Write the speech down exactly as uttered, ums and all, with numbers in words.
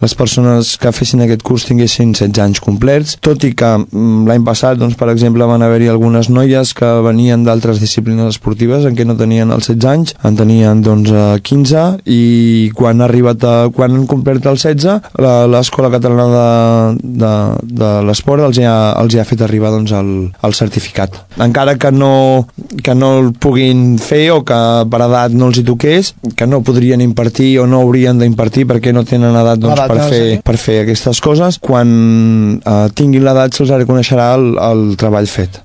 les persones que fessin aquest curs tinguessin setze anys complets, tot i que l'any passat, doncs, per exemple, van haver-hi algunes noies que venien d'altres disciplines esportives en què no tenien els setze anys, en tenien doncs quinze, i quan ha arribat a, quan han complert els setze, l'Escola Catalana de, de, de l'Esport els, ha, els ha fet arribar doncs, el, el certificat. Encara que no, que no el puguin fer o que per edat no els hi toqués, que no podrien impartir o no haurien d'impartir perquè no tenen edat doncs, per, fer, per fer aquestes coses, quan eh, tinguin l'edat se'ls reconeixerà el, el treball fet.